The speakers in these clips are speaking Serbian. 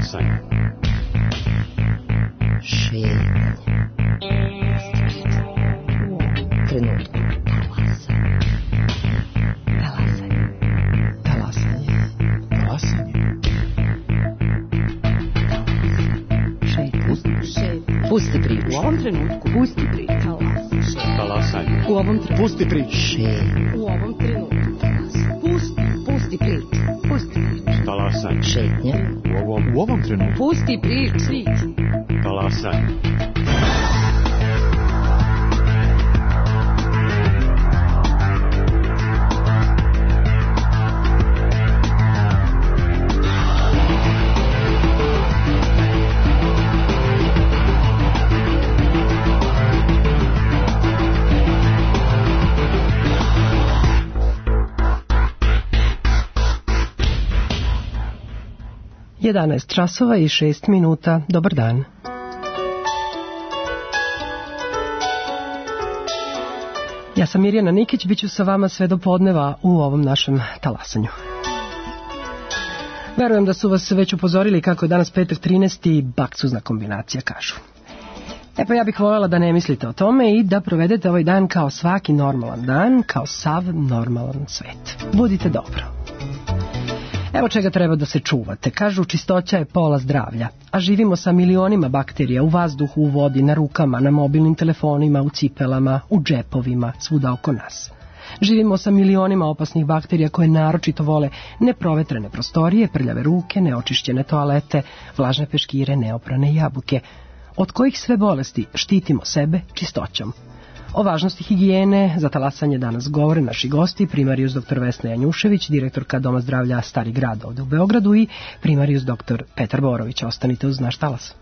Talasanje. Šetnja. U ovom trenutku. Pusti priču. U ovom trenutku. Pusti priču. Talasanje. U ovom trenutku. Pusti priču. U ovom trenutku. Pusti priču. Pusti priču. Talasanje. Šetnja. U ovom trenutku. Pusti priču. Talasanje. Jedanaest časova i 6 minuta. Dobar dan. Ja sam Mirjana Nikić, bit ću sa vama sve do podneva u ovom našem talasanju. Verujem da su vas već upozorili kako je danas petak 13. baksuzna kombinacija, kažu. Pa ja bih voljela da ne mislite o tome i da provedete ovaj dan kao svaki normalan dan, kao sav normalan svet. Budite dobro. Evo čega treba da se čuvate. Kažu, čistoća je pola zdravlja, a živimo sa milionima bakterija u vazduhu, u vodi, na rukama, na mobilnim telefonima, u cipelama, u džepovima, svuda oko nas. Živimo sa milionima opasnih bakterija koje naročito vole neprovetrene prostorije, prljave ruke, neočišćene toalete, vlažne peškire, neoprane jabuke, od kojih sve bolesti štitimo sebe čistoćom. O važnosti higijene za talasanje danas govore naši gosti, primarijus dr. Vesna Janjušević, direktorka Doma zdravlja Stari grad ovde u Beogradu, i primarijus dr. Petar Borović. Ostanite uz naš talas.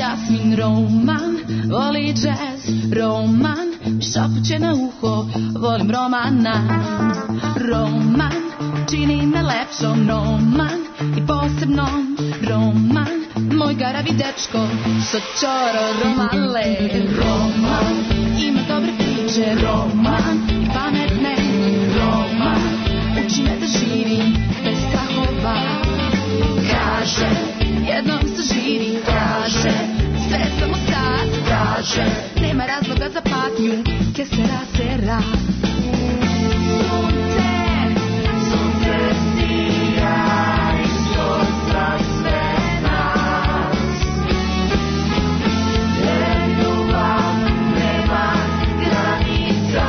'Jasmin roman, voli jazz, roman, šapuće na uho, volim romana. Roman, čini me lepšom, roman, i posebno roman, moj garavi dečko, što čoro romale. Roman, ima dobre priče, roman, i pametne, roman, uči me da živim bez strahova. Kaže, jednom se živi, kaže, sve samo sad, kaže, nema razloga za patnju, que sera, sera. Sunce, sunce sija i skoza sve nas, gdje ljubav nema granica.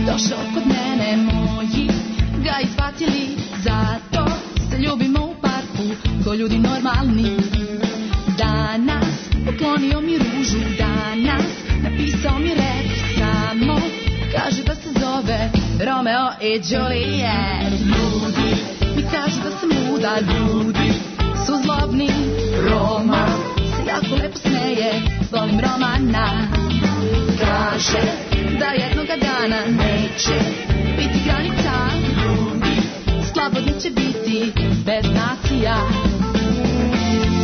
Došao kod mene, moji ga izbacili, zato se ljubimo u parku ko ljudi normalni. Danas poklonio mi ružu, danas napisao mi rep, samo kaže da se zove Romeo i Juliet. Ljudi mi kažu da sam luda, ljudi su zlobni. Roma se jako lepo smeje, volim Romana. Kaže da jednoga dana neće biti granica, ljudi slobodni će biti bez nacija.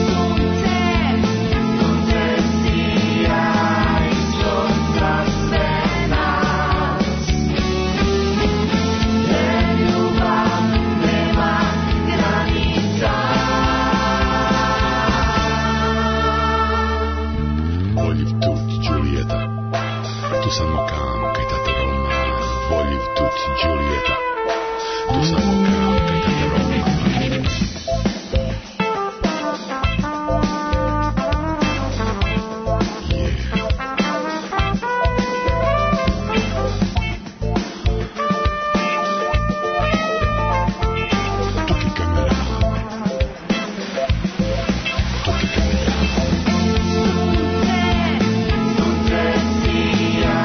Sunce, sunce sija i skoza sve nas, gdje ljubav nema granica. Voglio tutti Giulietta, tu samo kam kaj tate Roma. Voglio tutti Giulietta, tu samo kam kaj tate Roma. Sunce, sunce sija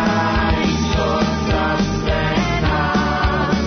i skoza sve nas,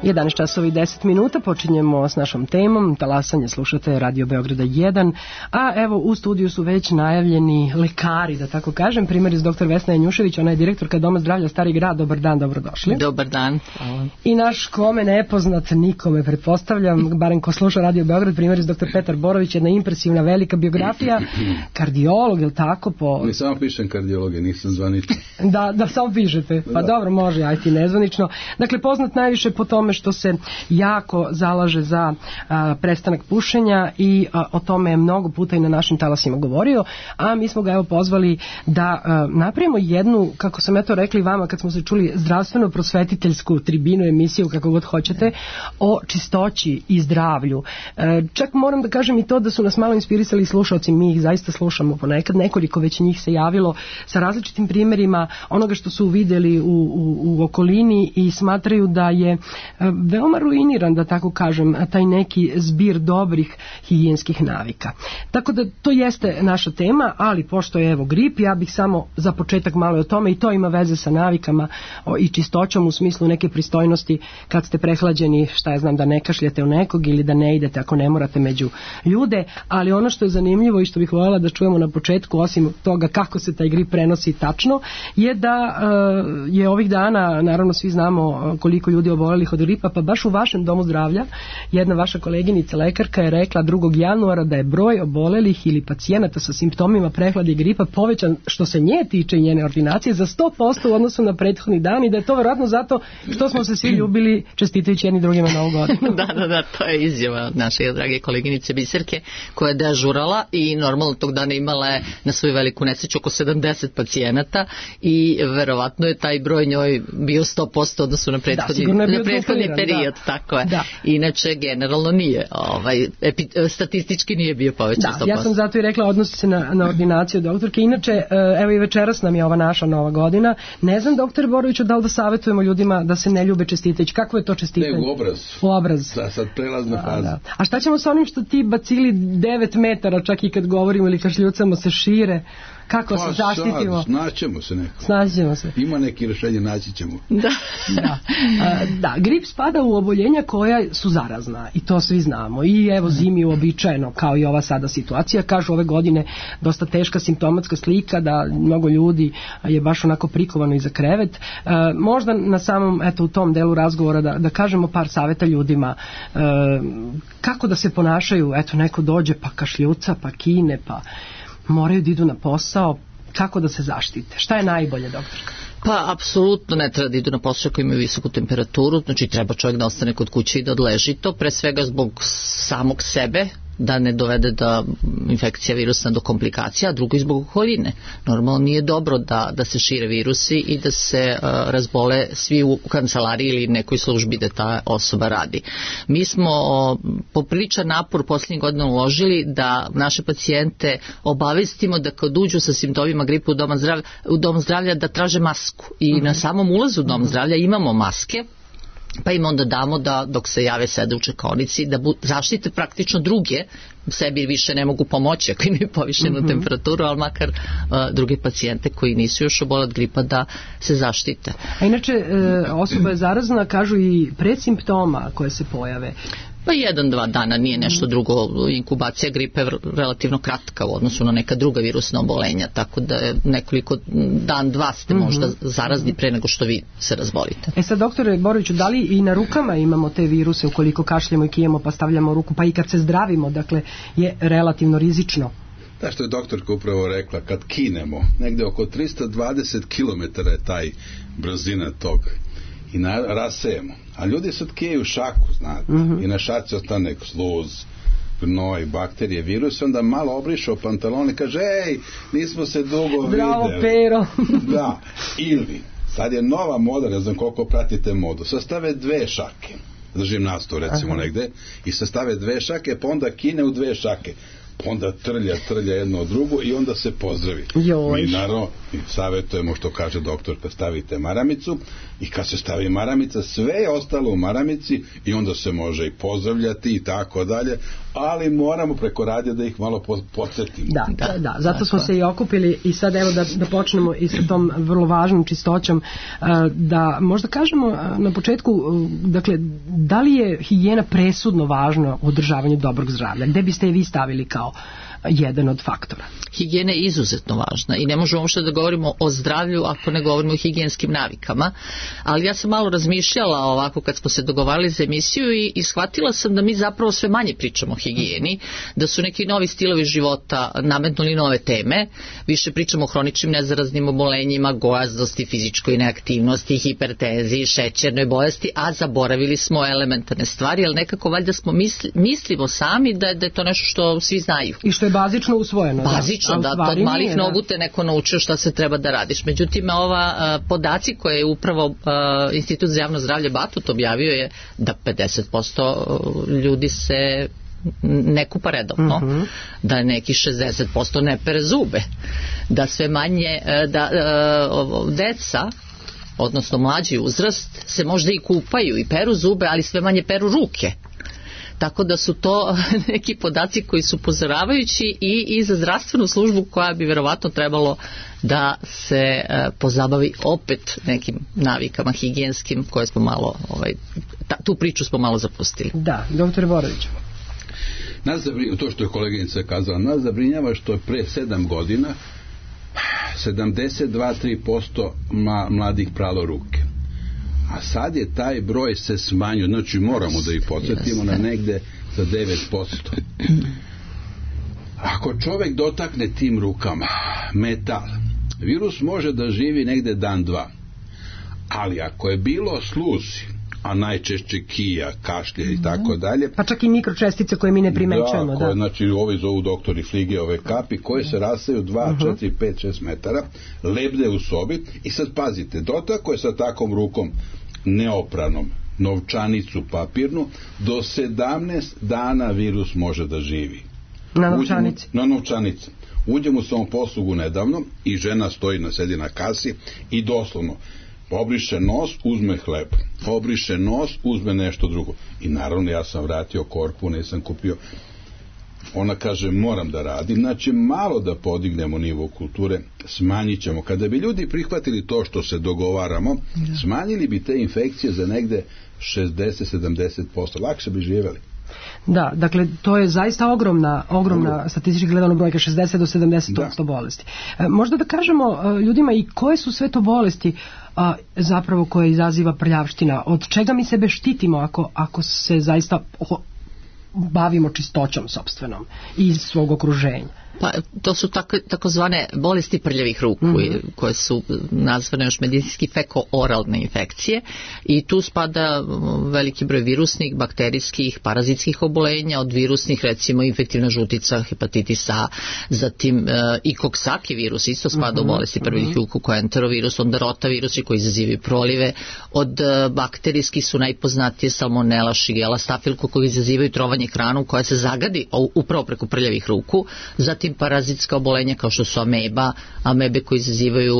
11 časova i 10 minuta, počinjemo s našom temom, talasanje, slušate Radio Beograda 1, a evo u studiju su već najavljeni lekari, da tako kažem, primjer iz dr. Vesna Janjušević, ona je direktorka Doma zdravlja Stari grad, dobar dan, dobrodošli. Dobar dan. Hvala. I naš kome nepoznat, nikome pretpostavljam, barem ko sluša Radio Beograd, primjer iz dr. Petar Borović, jedna impresivna velika biografija, kardiolog, je li tako? Ne samo pišem kardiologe, nisam zvanično. Da, samo pišete, pa dobro, može, aj ti nezvanično. Dakle, poznat najviše po tome što se jako zalaže za prestanak pušenja i o tome je mnogo puta i na našim talasima govorio, a mi smo ga evo pozvali da napravimo jednu, kako sam ja to rekli vama kad smo se čuli, zdravstveno-prosvetiteljsku tribinu, emisiju, kako god hoćete, o čistoći i zdravlju. Čak moram da kažem i to da su nas malo inspirisali slušalci, mi ih zaista slušamo ponekad, nekoliko već njih se javilo sa različitim primjerima onoga što su vidjeli u okolini i smatraju da je veoma ruiniran, da tako kažem, taj neki zbir dobrih higijenskih navika. Tako da to jeste naša tema, ali pošto je evo grip, ja bih samo za početak malo o tome, i to ima veze sa navikama i čistoćom u smislu neke pristojnosti kad ste prehlađeni, šta ja znam, da ne kašljete u nekog ili da ne idete ako ne morate među ljude, ali ono što je zanimljivo i što bih voljela da čujemo na početku, osim toga kako se taj grip prenosi tačno, je da je ovih dana, naravno svi znamo koliko ljudi obolelih od gripa, pa baš u vašem domu zdravlja jedna vaša koleginica lekarka je rekla 2. januara da je broj obolelih ili pacijenata sa simptomima prehlade i gripa povećan, što se nje tiče i njene ordinacije, za 100% u odnosu na prethodni dan, i da je to vjerojatno zato što smo se svi ljubili čestitajući jedni drugima Novu godinu. Da, to je izjava od naše drage koleginice Biserke koja je dežurala i normalno tog dana imala je na svoju veliku nesreću oko 70 pacijenata i verovatno je taj broj njoj bio 100% odnosu na prethodni period, tako je. Da. Inače generalno nije, statistički nije bio povećan 100%. Ja sam zato i rekla, odnosi se na ordinaciju doktorke. Inače, evo i večeras nam je ova naša Nova godina. Ne znam, doktore Boroviću, da li da savjetujemo ljudima da se ne ljube čestitajući? Kako je to čestitanje? Ne, u obraz. U obraz. Da, sad prelazna faza. Da. A šta ćemo sa onim što ti bacili 9 metara, čak i kad govorimo ili kašljucamo se šire? Kako se zaštitimo? Snaćemo se. Ima neki rješenje, naći ćemo. Da, grip spada u oboljenja koja su zarazna i to svi znamo. I evo zimi uobičajeno, kao i ova sada situacija. Kažu ove godine dosta teška simptomatska slika, da mnogo ljudi je baš onako prikovano iza krevet. Možda na samom, u tom delu razgovora da kažemo par savjeta ljudima kako da se ponašaju. Neko dođe pa kašljuca, pa kine, pa moraju da idu na posao, kako da se zaštite? Šta je najbolje, doktorka? Pa, apsolutno ne treba da idu na posao koji imaju visoku temperaturu, znači treba čovjek da ostane kod kuće i da odleži to, pre svega zbog samog sebe, da ne dovede da infekcija virusna do komplikacija, a drugo i zbog okoline. Normalno nije dobro da se šire virusi i da se razbole svi u kancelariji ili nekoj službi da ta osoba radi. Mi smo popriličan napor posljednjih godina uložili da naše pacijente obavestimo da kad uđu sa simptomima gripa u dom zdravlja da traže masku i na samom ulazu u dom zdravlja imamo maske, pa im onda damo da dok se jave sede u čekaonici da zaštite praktično druge, sebi više ne mogu pomoći ako imaju povišenu temperaturu, ali makar druge pacijente koji nisu još oboleli od gripa da se zaštite. A inače osoba je zarazna, kažu i predsimptoma koje se pojave. Pa 1-2 dana, nije nešto drugo. Inkubacija gripe je relativno kratka u odnosu na neka druga virusna obolenja, tako da je nekoliko dan-dva ste možda zarazni pre nego što vi se razbolite. Sad, doktore Boroviću, da li i na rukama imamo te viruse ukoliko kašljemo i kijemo pa stavljamo ruku, pa i kad se zdravimo, dakle je relativno rizično? Da, što je doktorka upravo rekla, kad kinemo, negde oko 320 km je taj brzina tog i rasejemo. A ljudi sad kijaju šaku, znate, i na šaci ostane sluz, gnoj, bakterije, virus, onda malo obrišao pantalon i kaže, ej, nismo se dugo videli. Bravo, Pero. Da, ili, sad je nova moda, ne znam koliko pratite modu, sastave 2 šake, držim nastavu recimo negde, i sastave 2 šake, pa onda kine u 2 šake. onda trlja jedno od drugo i onda se pozdravi. Joj. Mi naravno savjetujemo, što kaže doktorka, stavite maramicu i kad se stavi maramica, sve je ostalo u maramici i onda se može i pozdravljati i tako dalje, ali moramo preko radija da ih malo podsjetimo. Da, zato smo se i okupili i sad evo da počnemo i sa tom vrlo važnom čistoćom, da možda kažemo na početku, dakle, da li je higijena presudno važna u održavanju dobrog zdravlja? Gde biste je vi stavili kao jedan od faktora? Higijena je izuzetno važna i ne možemo uopšte da govorimo o zdravlju ako ne govorimo o higijenskim navikama, ali ja sam malo razmišljala ovako kad smo se dogovarali za emisiju i shvatila sam da mi zapravo sve manje pričamo o higijeni, da su neki novi stilovi života nametnuli nove teme, više pričamo o hroničnim nezaraznim obolenjima, gojaznosti, fizičkoj neaktivnosti, hipertenziji, šećernoj bolesti, a zaboravili smo elementarne stvari, ali nekako valjda smo mislimo sami da je to nešto što svi znaju. I što je bazično usvojeno. Bazično, da od malih nogu te neko naučio šta se treba da radiš. Međutim, ova podaci koje je upravo Institut za javno zdravlje Batut objavio je da 50% ljudi se ne kupa redovno, da neki 60% ne pere zube, da sve manje deca, odnosno mlađi uzrast, se možda i kupaju i peru zube, ali sve manje peru ruke. Tako da su to neki podaci koji su upozoravajući i za zdravstvenu službu koja bi verovatno trebalo da se pozabavi opet nekim navikama higijenskim koje smo malo, tu priču smo malo zapustili. Da, doktor Borović. To što je koleginica kazala, nas zabrinjava što je pre 7 godina 72-3% mladih pralo ruke. A sad je taj broj se smanjio, znači moramo da ih podsjetimo na negde za 9%. Ako čovjek dotakne tim rukama metal, virus može da živi negde dan, dva. Ali ako je bilo sluzi, a najčešće kija, kašlje i tako dalje. Pa čak i mikročestice koje mi ne primećujemo. Da, znači ovi zovu doktori Flige, kapi koje se rastaju 2, 4, 5, 6 metara, lebde u sobi i sad pazite, dotakao je sa takom rukom neopranom novčanicu papirnu, do 17 dana virus može da živi. Na novčanici? Na novčanici. Uđem u samoposlugu nedavno i žena sedi na kasi i doslovno obriše nos, uzme hleb, obriše nos, uzme nešto drugo. I naravno ja sam vratio korpu, nisam kupio. Ona kaže moram da radim, znači malo da podignemo nivo kulture, smanjit ćemo. Kada bi ljudi prihvatili to što se dogovaramo, smanjili bi te infekcije za negde 60-70%, lakše bi živjeli. Da, dakle to je zaista ogromna statistički gledano brojka, 60 do 70% bolesti. Možda da kažemo ljudima i koje su sve to bolesti zapravo koje izaziva prljavština, od čega mi sebe štitimo ako se zaista bavimo čistoćom sopstvenom i svog okruženja. Pa to su takozvane bolesti prljavih ruku koje su nazvane još medicinski feko-oralne infekcije i tu spada veliki broj virusnih, bakterijskih, parazitskih obolenja, od virusnih recimo infektivna žutica, hepatitis A, zatim i koksaki virus isto spada u bolesti prljavih ruku koja je enterovirus, onda rotavirusi koji izazivaju prolive, od bakterijskih su najpoznatije salmonela, šigela, stafilko koji izazivaju trovanje hranom koja se zagadi upravo preko prljavih ruku, zatim parazitska obolenja kao što su amebe koji izazivaju,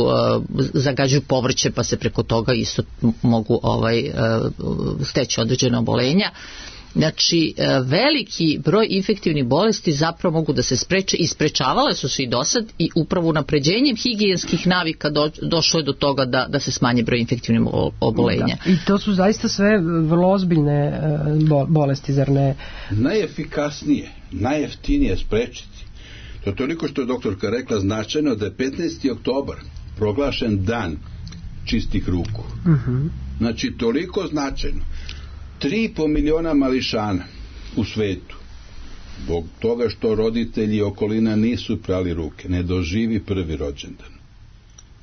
zagađuju povrće pa se preko toga isto mogu steći određene obolenja. Znači, veliki broj infektivnih bolesti zapravo mogu da se spreče i sprečavale su se i dosad i upravo unapređenjem higijenskih navika došlo je do toga da se smanji broj infektivnih obolenja. Da. I to su zaista sve vrlo ozbiljne bolesti, zar ne? Najefikasnije, najjeftinije sprečiti. To je toliko što je doktorka rekla značajno da je 15. oktobar proglašen dan čistih ruku. Znači toliko značajno. 3,5 miliona mališana u svetu zbog toga što roditelji i okolina nisu prali ruke, ne doživi prvi rođendan,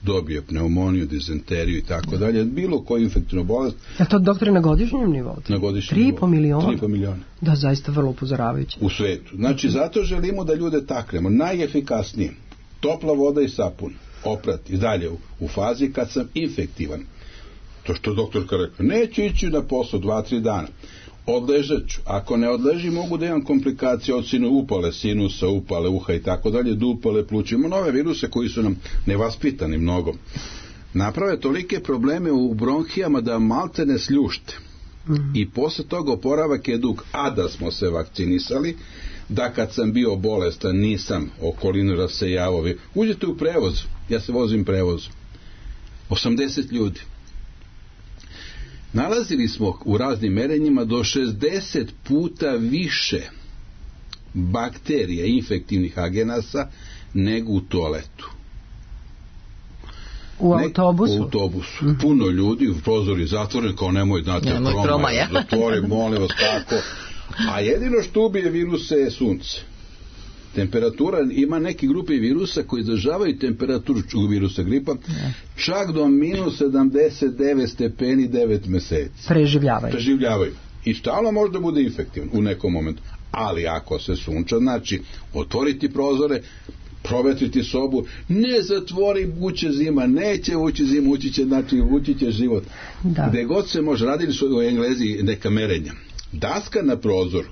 dobije pneumoniju, dizenteriju i tako dalje, bilo koju infektivnu bolest. A to doktore na godišnjem nivou? Na godišnjem nivou. 3,5 miliona? Da, zaista vrlo upozoravajuće. U svetu. Znači zato želimo da ljude taknemo. Najefikasnije, topla voda i sapun, oprati dalje u fazi kad sam infektivan. To što doktorka rekla, neću ići na posao 2-3 dana. odležat ću. Ako ne odležim, mogu da imam komplikacije od upale sinusa, upale uha i tako dalje, do upale pluća. Imamo nove viruse koji su nam nevaspitani mnogo. Naprave tolike probleme u bronhijama da malte ne sljušte. I posle toga oporavak je dug. A da smo se vakcinisali, da kad sam bio bolestan nisam okolinu rasejavao. Uđete u prevoz, ja se vozim prevozom. 80 ljudi. Nalazili smo u raznim merenjima do 60 puta više bakterija infektivnih agenasa nego u toaletu. U autobusu? U autobusu. Puno ljudi, prozori zatvoren, kao nemoj, znate, promaja. Zatvori, molim vas, kako. A jedino što ubije viruse je sunce. Temperatura, ima neke grupe virusa koji izdržavaju temperaturu virusa gripa čak do minus 79 stepeni 9 meseci. Preživljavaju. I stalno može da bude infektivan u nekom momentu. Ali ako se sunča, znači otvoriti prozore, provetriti sobu, ne zatvori, uće zima, neće ući zima, ući će život. Da. Gde god se može, radili su u Englezi neka merenja. Daska na prozoru,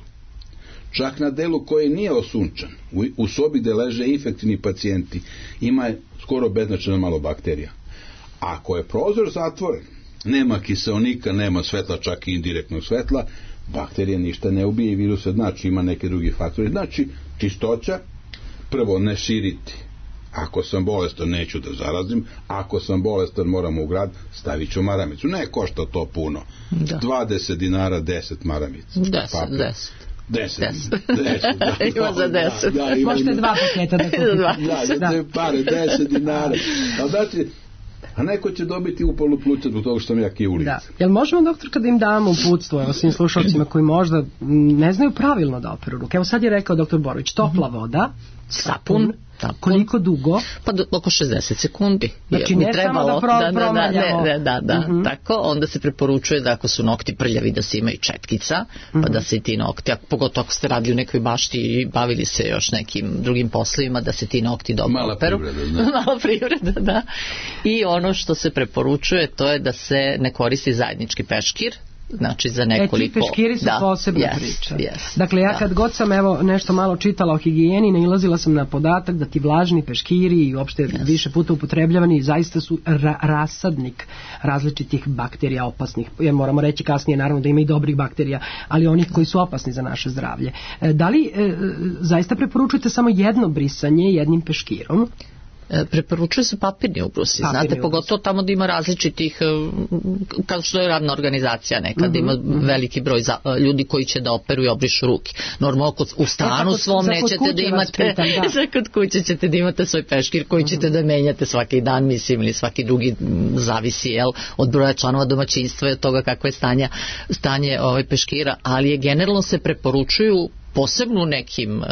čak na delu koji nije osunčan, u sobi gde leže infektivni pacijenti, ima skoro beznačajno malo bakterija. Ako je prozor zatvoren, nema kiseonika, nema svetla, čak i indirektnog svetla, bakterije ništa ne ubije i viruse, znači ima neke drugi faktori. Znači, čistoća, prvo ne širiti. Ako sam bolestan, neću da zarazim. Ako sam bolestan, moram u grad, stavit ću maramicu. Ne košta to puno. Da. 20 dinara, 10 maramica. 10. Ima za 10. Možete 2 paketa da kupite. Da, pare, 10 dinara. A znači, a neko će dobiti upalu pluća zbog toga što sam ja kijulica. Da. Jel možemo, doktor, kada im damo uputstvo, evo svim slušalcima koji možda ne znaju pravilno da operu ruke? Evo sad je rekao doktor Borović, topla voda, sapun, koliko dugo? Pa oko 60 sekundi. Znači ne samo da promaljamo. Tako, onda se preporučuje da ako su nokti prljavi da se imaju četkica, pa da se i ti nokti, pogotovo ako ste radili u nekoj bašti i bavili se još nekim drugim poslovima, da se ti nokti dobro operu. Mala privreda, da. I ono što se preporučuje, to je da se ne koristi zajednički peškir, znači za nekoliko... Ti peškiri su posebna priča. Dakle, ja kad god sam nešto malo čitala o higijeni, nailazila sam na podatak da ti vlažni peškiri i uopšte više puta upotrebljavani zaista su rasadnik različitih bakterija opasnih. Jer moramo reći kasnije naravno da ima i dobrih bakterija, ali onih koji su opasni za naše zdravlje. Da li zaista preporučujete samo jedno brisanje jednim peškirom? Preporučuje se papirni ubrusi, znate, pogotovo tamo da ima različitih, kao što je radna organizacija nekada, ima veliki broj ljudi koji će da operu i obrišu ruke. Normalno u stanu svom nećete da imate, kod kuće ćete da imate svoj peškir koji ćete da menjate svaki dan, mislim, ili svaki drugi, zavisi od broja članova domaćinstva i od toga kakvo je stanje peškira, ali je generalno se preporučuju posebno u nekim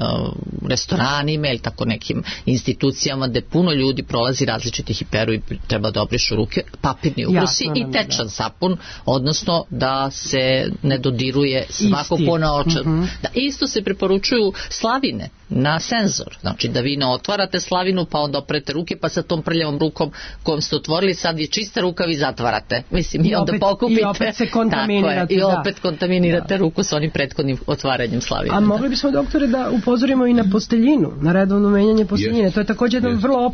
restoranima ili tako nekim institucijama gde puno ljudi prolazi različitih i peru i treba da obrišu ruke, papirni ubrusi i tečan sapun, odnosno da se ne dodiruje svako ponaočar. Da, isto se preporučuju slavine na senzor, znači da vi ne otvarate slavinu pa onda oprete ruke pa sa tom prljavom rukom kojom ste otvorili sad je čista ruka vi zatvarate, mislim, i onda pokupite i opet se kontaminirate, i opet kontaminirate ruku sa onim prethodnim otvaranjem slavine. A mogli bismo, doktore, da upozorimo i na posteljinu, na redovno menjanje posteljine, to je također jedno vrlo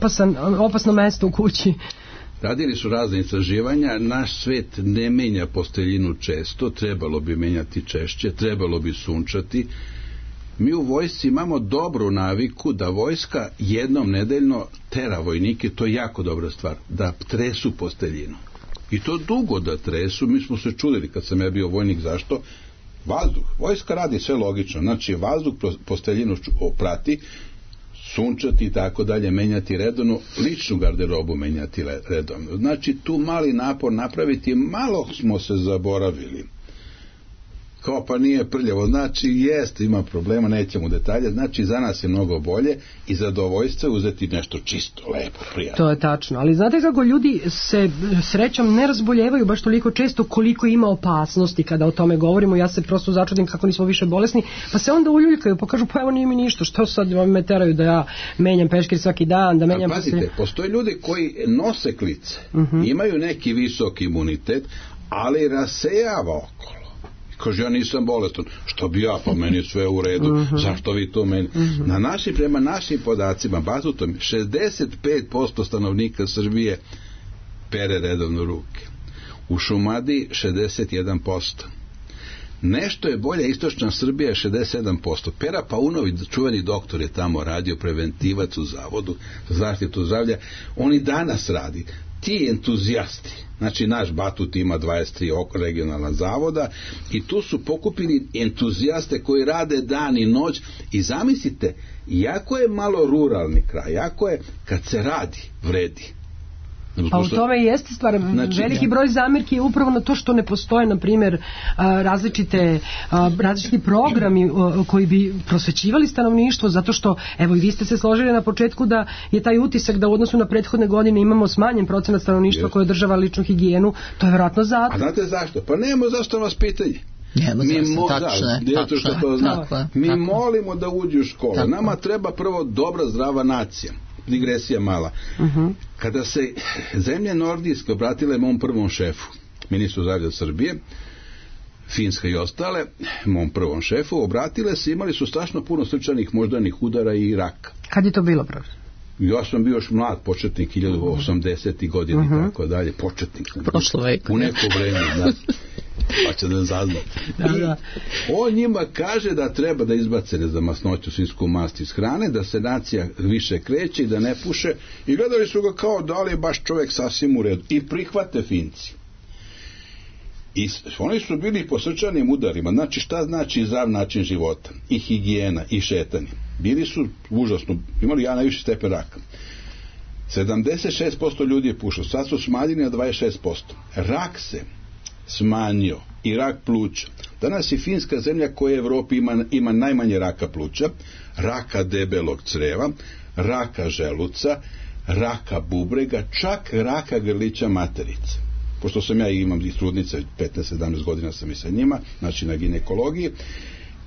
opasno mesto u kući. Radili su razne istraživanja, naš svet ne menja posteljinu često, trebalo bi menjati češće, trebalo bi sunčati. Mi u vojsci imamo dobru naviku da vojska jednom nedeljno tera vojnike, to je jako dobra stvar, da tresu posteljinu. I to dugo da tresu, mi smo se čudili kad sam ja bio vojnik, zašto? Vazduh, vojska radi sve logično, znači vazduh posteljinu prati, sunčati i tako dalje, menjati redovno, ličnu garderobu menjati redovno. Znači tu mali napor napraviti, malo smo se zaboravili. Kao pa nije prljavo, znači jest, ima problema, nećemo detalje, znači za nas je mnogo bolje i zadovoljstvo uzeti nešto čisto, lepo, prijatno. To je tačno, ali znate kako ljudi se srećom ne razboljevaju baš toliko često koliko ima opasnosti kada o tome govorimo, ja se prosto začudim kako nismo više bolesni, pa se onda uljuljkaju, pa kažu pa evo nije mi ništa, što sad me teraju da ja menjam peškir svaki dan, da menjam... Pazite, postoje ljudi koji nose klice, imaju neki visok imunitet, ali rasejava okolo. Kaže, ja nisam bolestan. Što bi ja, pa meni je sve u redu. Zašto vi to meni? Prema našim podacima, bazutom, 65% stanovnika Srbije pere redovno ruke. U Šumadiji 61%. Nešto je bolja istočna Srbija, 67%. Pera Paunović, čuveni doktor, je tamo radio, preventivac u Zavodu za zaštitu zdravlja. On i danas radi. Ti entuzijasti, znači naš Batut ima 23 regionalna zavoda i tu su pokupili entuzijaste koji rade dan i noć i zamislite, jako je malo ruralni kraj, jako je, kad se radi, vredi. Pa u tome i jeste stvar. Veliki broj zamjerki je upravo na to što ne postoje, na primjer, različiti programi koji bi prosvećivali stanovništvo, zato što, evo i vi ste se složili na početku da je taj utisak da u odnosu na prethodne godine imamo smanjen procenat stanovništva koje održava ličnu higijenu. To je vjerojatno zato. A znate zašto? Pa nemamo zašto vas pitanje. Mi molimo da uđu u školu. Nama treba prvo dobra, zdrava nacija. Digresija mala. Kada se zemlje nordijske obratile mom prvom šefu, ministru zdravlja Srbije, Finska i ostale, mom prvom šefu, obratile se, imali su strašno puno srčanih moždanih udara i raka. Kad je to bilo, profesor? Ja sam bio još mlad početnik, 1080. godina i tako dalje, početnik. Prošlo veka. U neko vreme, da. Pa će da zazna. On njima kaže da treba da izbace za masnoću svinjsku mast iz hrane, da se nacija više kreće i da ne puše, i gledali su ga kao da li je baš čovjek sasvim u redu. I prihvate Finci. I oni su bili po srčanim udarima. Znači, šta znači zdrav način života? I higijena, i šetanje. Bili su užasno, imali najviši stepen raka. 76% ljudi je pušao, sad su smanjeni na 26%. Rak se smanjio, i rak pluća. Danas je Finska zemlja koja u Evropi ima najmanje raka pluća, raka debelog creva, raka želuca, raka bubrega, čak raka grlića materice. Pošto sam ja imam i trudnice, 15-17 godina sam i sa njima, znači na ginekologiji,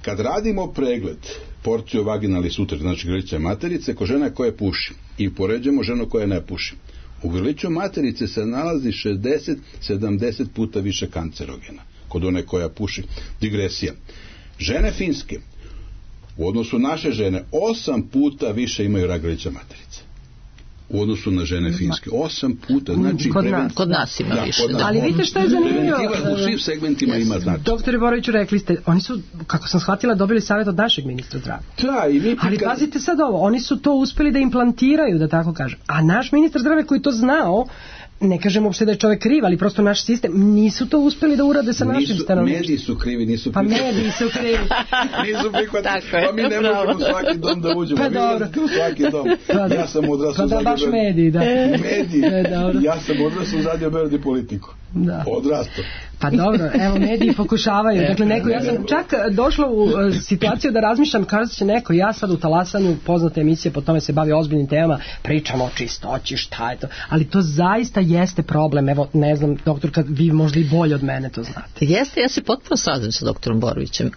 kad radimo pregled porciju vaginalni sutra, znači grlića materice, ko žena koja puši, i poređujemo ženu koja ne puši, u grliću materice se nalazi 60-70 puta više kancerogena kod one koja puši. Digresija. Žene Finske u odnosu naše žene 8 puta više imaju rak grlića materice u odnosu na žene Finske. 8 puta. Znači kod nas ima više. Ali vidite što je zanimljivo. U svim segmentima ima znači. Doktore Boroviću, rekli ste, oni su, kako sam shvatila, dobili savjet od našeg ministra zdravlja. Ali pazite sad ovo, oni su to uspeli da implantiraju, da tako kažem. A naš ministar zdravlja koji to znao, ne kažem uopšte da je čovjek kriv, ali prosto naš sistem, nisu to uspeli da urade sa našim stanovništvom. Mediji su krivi, nisu prihvatili. Pa mediji su krivi. Nisu prihvatili. Pa mi ne možemo u svaki dom da uđemo. Pa dobro. U svaki dom. Ja sam odrastao u Zagrebu. Pa da, baš mediji, da. Mediji. Ja sam odrastao u Radio Beograd i politiku. Da. Odrastao. Pa dobro, evo, mediji pokušavaju. Dakle, ja sam čak došla u situaciju da razmišljam, kaže će neko, ja sad u Talasanju, poznate emisije, po tome se bavi ozbiljnim temama, pričamo o čistoći, šta je to. Ali to zaista jeste problem. Evo, ne znam, doktorka, vi možda i bolje od mene to znate. Jeste, ja se potpuno slažem sa doktorom Borovićem.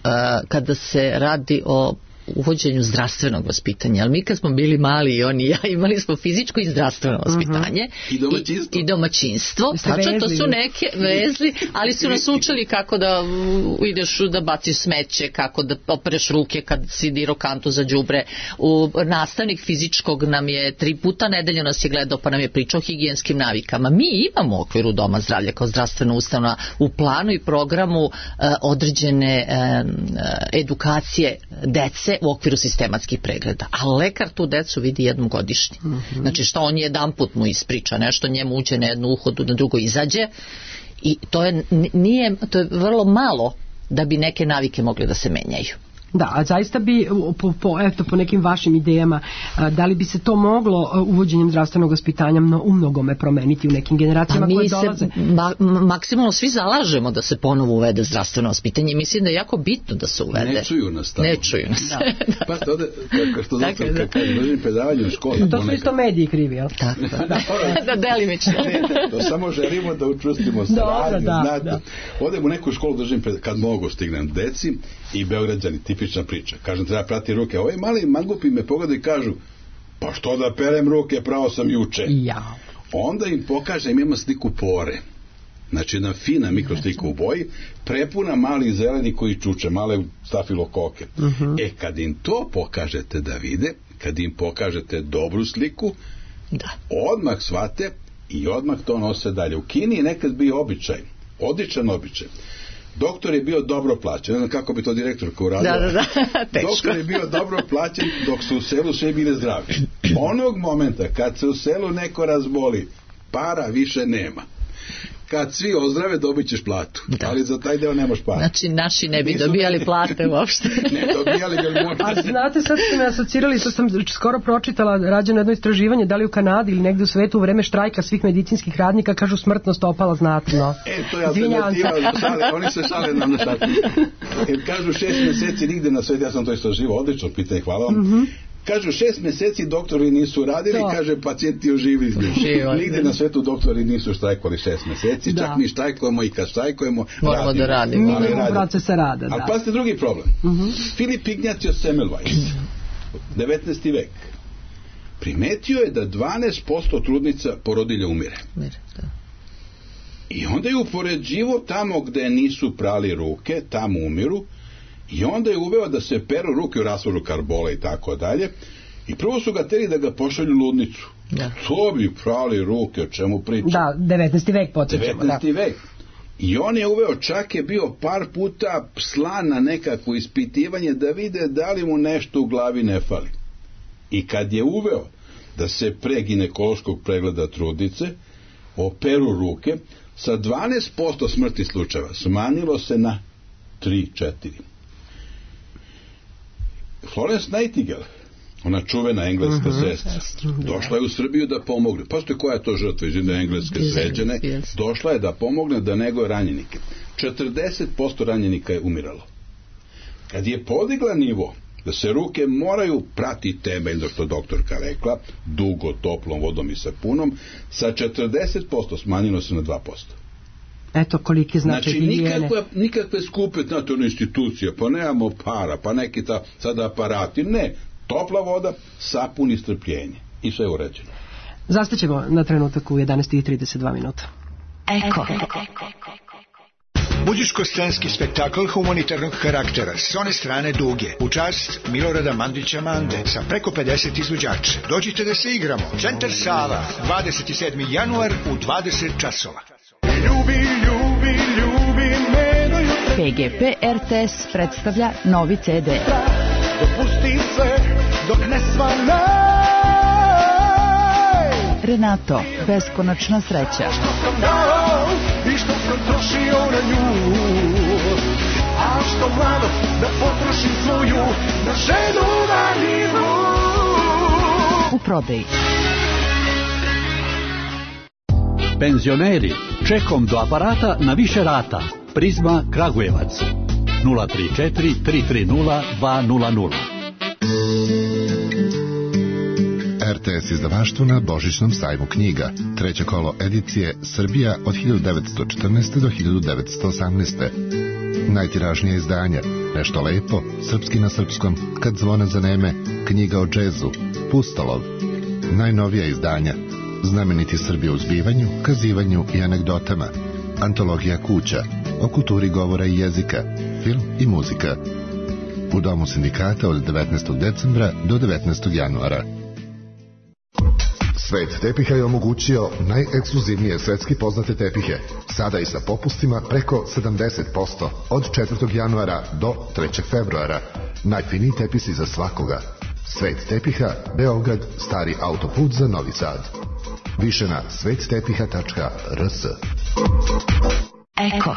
Kada se radi o uvođenju zdravstvenog vaspitanja, ali mi kad smo bili mali i oni i ja, imali smo fizičko i zdravstveno vaspitanje i domaćinstvo. Tačno, to su neke vezli, ali su nas učili kako da ideš da baciš smeće, kako da opereš ruke kad si dirao kantu za đubre. Nastavnik fizičkog nam je 3 puta nedeljno nas je gledao pa nam je pričao o higijenskim navikama. Mi imamo u okviru Doma zdravlja kao zdravstvena ustanova u planu i programu određene edukacije dece u okviru sistematskih pregleda. A lekar tu decu vidi jednom godišnje. Znači što on jedanput mu ispriča nešto, njemu uđe na jednu uhodu, na drugo izađe i to je vrlo malo da bi neke navike mogle da se menjaju. Da, a zaista bi po nekim vašim idejama, da li bi se to moglo uvođenjem zdravstvenog vaspitanja u mnogome promeniti u nekim generacijama koje dolaze? Maksimalno svi zalažemo da se ponovo uvede zdravstveno vaspitanje i mislim da je jako bitno da se uvede. Ne čuju nas tamo. Ne čuju nas. Pa to što doktor kad držim predavanje u školi. To su isto mediji krivi, jel? Tako. Da delimično. To samo želimo da učvrstimo saradnju, znate. Odem u neku školu, držim kad mogu stignem deci i Beograđani, tipična priča. Kažem, treba prati ruke. Ovi mali mangupi me pogledaju i kažu, pa što da perem ruke, pravo sam juče. Ja. Onda im pokažem, ima sliku pore. Znači jedna fina mikroslika u boji, prepuna malih zeleni koji čuče, male stafilokoke. Kad im to pokažete da vide, kad im pokažete dobru sliku, odmah shvate i odmah to nose dalje. U Kini je nekad bio običaj, odličan običaj. Doktor je bio dobro plaćen, ne znam kako bi to direktorka uradila. Teško. Doktor je bio dobro plaćen dok su u selu sve bile zdravi. Onog momenta kad se u selu neko razboli, para više nema. Kad svi ozdrave, dobit ćeš platu. Ali za taj deo nemaš para. Znači, naši ne bi dobijali plate uopšte. Ne dobijali, ali možda. A znate, sad ste me asocirali, to sam skoro pročitala, rađeno jedno istraživanje, da li u Kanadi ili negde u svetu u vreme štrajka svih medicinskih radnika, kažu smrtnost opala znatno. To je alternativa, oni se šale nam na šaku. Kažu 6 meseci nigde na svetu, ja sam to istraživao, odlično pitanje, hvala vam. Kažu 6 meseci doktori nisu radili, kaže pacijenti oživili. Nigde na svetu doktori nisu štrajkovali 6 meseci, čak mi štrajkujemo i kad štrajkujemo moramo da radimo. Minimum procesa rada. Ali pazite drugi problem. Filip Ignatio Semmelweis, 19. vek, primetio je da 12% trudnica porodilja umire. I onda je upoređivo tamo gde nisu prali ruke, tamo umiru. I onda je uveo da se peru ruke u rasvoru karbola i tako dalje. I prvo su ga teli da ga pošalju u ludnicu. To bi prali ruke, o čemu pričam. Da, 19. vek podsjećamo. 19. vek. I on je uveo, čak je bio par puta slan na nekakvo ispitivanje da vide da li mu nešto u glavi ne fali. I kad je uveo da se pre ginekološkog pregleda trudnice operu ruke, sa 12% smrti slučajeva smanjilo se na 3-4. Florence Nightingale, ona čuvena engleska sestra, došla je u Srbiju da pomogne. Pazite koja je to žrtva iz engleske sređene. Došla je da pomogne da neguje ranjenike. 40% ranjenika je umiralo. Kad je podigla nivo da se ruke moraju prati temeljno, što doktorka rekla, dugo, toplom vodom i sapunom, sa 40% smanjilo se na 2%. Eto koliki značaj higijene. Znači nikakve skupe institucije, pa nemamo para, pa neki sad aparati, ne, topla voda, sapun i strpljenje i sve je uređeno. Zastaćemo na trenutak u 11:32 minuta. Eko. Muzičko-scenski spektakl humanitarnog karaktera s one strane Duge, u čast Milorada Mandića Mande, sa preko 50 izvođača. Dođite da se igramo. Centar Sava, 27. januar u 20 časova. PGP RTS predstavlja novi CD. Dopusti sve dok ne svanaj. Renato, beskonačna sreća. Što sam dao i što sam trošio na nju, a što mlado da potrošim svoju na ženu vaninu. U prodaji. Penzioneri, čekom do aparata na više rata. Prizma Kragujevac 034 330 200. RTS izdavaštvo na Božićnom sajmu knjiga. Treće kolo edicije Srbija od 1914. do 1918. Najtiražnije izdanja. Nešto lepo, srpski na srpskom, kad zvona zaneme, knjiga o džezu, Pustolov. Najnovija izdanja. Znameniti Srbi u zbivanju, kazivanju i anegdotama. Antologija kuća, o kulturi govora i jezika, film i muzika. U Domu sindikata od 19. decembra do 19. januara. Svet tepiha je omogućio najekskluzivnije svetski poznate tepihe. Sada i sa popustima preko 70% od 4. januara do 3. februara. Najfiniji tepisi za svakoga. Svet tepiha, Beograd, stari autoput za Novi Sad. Više na svettepiha.rs. Eko.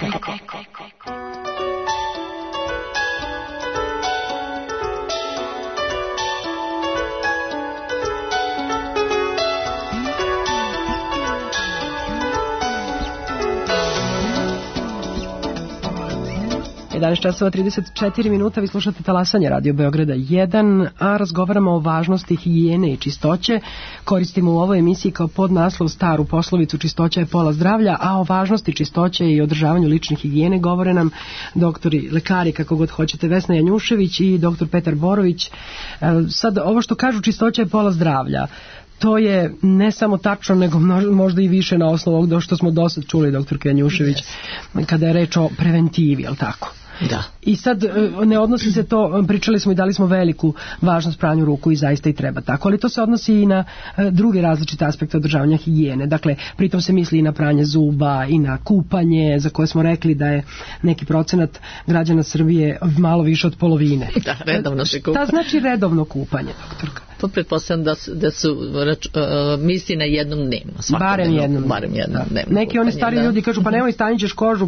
11 časova 34 minuta, vi slušate Talasanje Radio Beograda 1, a razgovaramo o važnosti higijene i čistoće. Koristimo u ovoj emisiji kao podnaslov staru poslovicu čistoća je pola zdravlja, a o važnosti čistoće i održavanju lične higijene govore nam doktori, lekari, kako god hoćete, Vesna Janjušević i doktor Petar Borović. Sad, ovo što kažu čistoća je pola zdravlja, To je ne samo tačno, nego možda i više na osnovu ovog što smo dosad čuli, doktor Janjušević, kada je reč o preventivi, je li tako? Da. I sad ne odnosi se to, pričali smo i dali smo veliku važnost pranju ruku i zaista i treba tako, ali to se odnosi i na druge različite aspekte održavanja higijene. Dakle, pritom se misli i na pranje zuba i na kupanje, za koje smo rekli da je neki procenat građana Srbije malo više od polovine. Da, redovno se kupa. Šta znači redovno kupanje, doktorka? To pretpostavljam da su misli na jednom dnevno. Barem jednom dnevno. Neki oni stari ljudi kažu pa nemoj, stanit ćeš kožu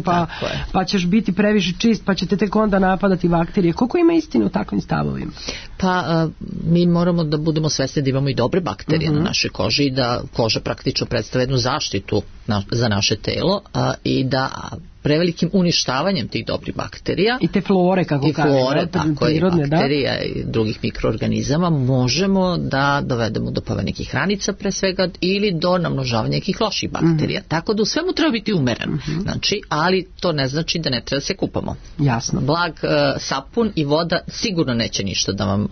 pa ćeš biti previše čist pa će te tek onda napadati bakterije. Koliko ima istine u takvim stavovima? Pa mi moramo da budemo svesni da imamo i dobre bakterije na našoj koži i da koža praktično predstavlja jednu zaštitu za naše telo i da prevelikim uništavanjem tih dobrih bakterija i te flore, kako kažem, tako je, bakterija i drugih mikroorganizama možemo da dovedemo do pojave nekih ranica pre svega ili do namnožavanja nekih loših bakterija. Tako da u svemu treba biti umeren. Znači, ali to ne znači da ne treba da se kupamo. Jasno. Blag sapun i voda sigurno neće ništa da vam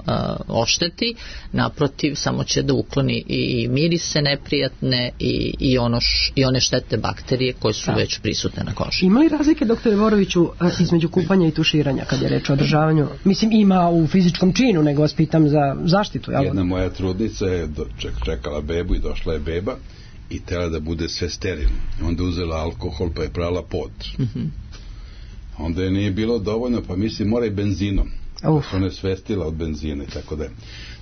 ošteti, naprotiv, samo će da ukloni i mirise neprijatne i one štetne bakterije koje su već prisutne na koži. Ima li razlike, doktore Voroviću, između kupanja i tuširanja kad je reč o održavanju? Mislim, ima u fizičkom činu, nego vas pitam za zaštitu. Jel? Jedna moja trudnica je čekala bebu i došla je beba i tela da bude sve sterilno. Onda uzela alkohol pa je prala pod. Onda je nije bilo dovoljno, pa mislim mora i benzinom. Ona je svestila od benzina i tako da.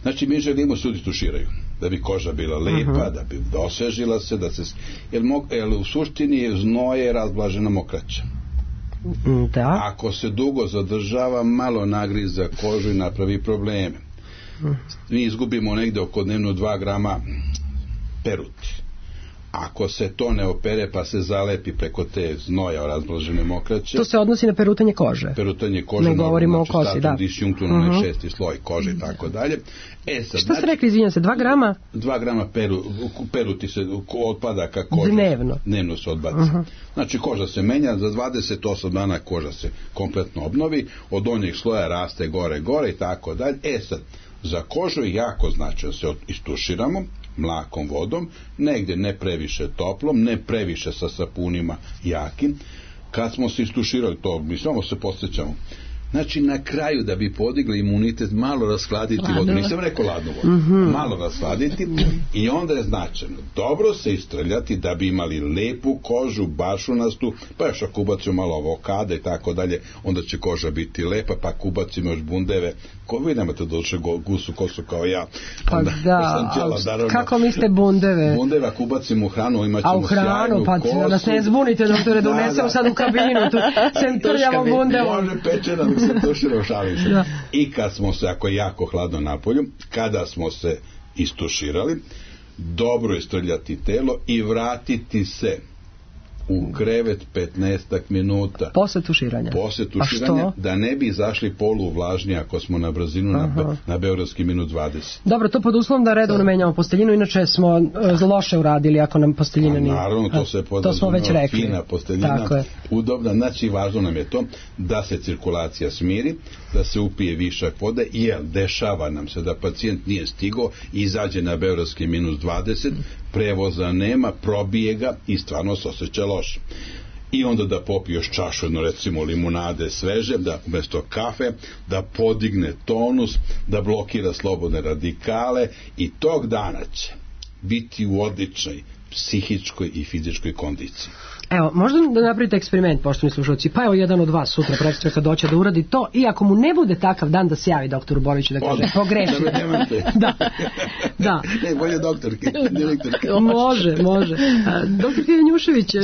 Znači mi želimo ljudi tuširaju da bi koža bila lepa, da bi osvežila se, da se jer u suštini znoj je razblažena mokraća. Da. Ako se dugo zadržava, malo nagriza kožu i napravi probleme. Mi izgubimo negde oko dnevno 2 grama peruti. Ako se to ne opere pa se zalepi preko te znoja razblažene mokraće. To se odnosi na perutanje kože. Perutanje kože, ne govorimo o kosi, da. Disjunkturno, 6. sloj kože i tako dalje. Šta ste rekli, izvinjam se, 2 grama? 2 grama peruti se otpadaka kože. Dnevno se odbaci. Znači koža se menja, za 28 dana koža se kompletno obnovi, od donjeg sloja raste gore i tako dalje. Sad, za kožu je jako značajno se istuširamo mlakom vodom, negdje ne previše toplom, ne previše sa sapunima jakim. Kad smo se istuširali to, mi samo se posjećamo. Znači na kraju da bi podigli imunitet malo rashladiti vodu, nisam rekao ladnu vodu, malo rashladiti i onda je značajno dobro se istrljati da bi imali lepu kožu, bašunastu, pa još ako ubacimo malo avokada i tako dalje, onda će koža biti lepa, pa ako ubacimo još bundeve, vi nemate došle gusu kosu kao ja. Pa da, kako mislite bundeve? Bundeve ako ubacimo u hranu, imat ćemo sjajnu kosu. Pa da nas ne zbunite, doktore, da unesemo sad u kabinu, tu sem trljamo bundevom. Može pečena, dok se tuširao, šalim se. Da. I kad smo se, ako je jako hladno napolju, kada smo se istuširali, dobro istrljati telo i vratiti se u krevet 15 minuta. Posle tuširanja. Da ne bi izašli poluvlažnji ako smo na brzinu na beogradski minut 20. Dobro, to pod uslovom da redovno menjamo posteljinu, inače smo loše uradili ako nam posteljina nije. Naravno, to smo već rekli. Fina posteljina, udobna, znači važno nam je to da se cirkulacija smiri, da se upije višak vode, jer dešava nam se da pacijent nije stigao i izađe na beogradski minus 20, prevoza nema, probije ga i stvarno se osjeća loše. I onda da popije još čašu, jedno recimo limunade sveže, da umjesto kafe, da podigne tonus, da blokira slobodne radikale i tog dana će biti u odličnoj psihičkoj i fizičkoj kondiciji. Evo, možda da napravite eksperiment, poštovani slušalci, pa evo jedan od vas sutra prekstra kad doće da uradi to i ako mu ne bude takav dan da se javi doktoru Boroviću da kaže pogrešio. Da. Ne, bolje doktorki. Može. Doktor Janjušević,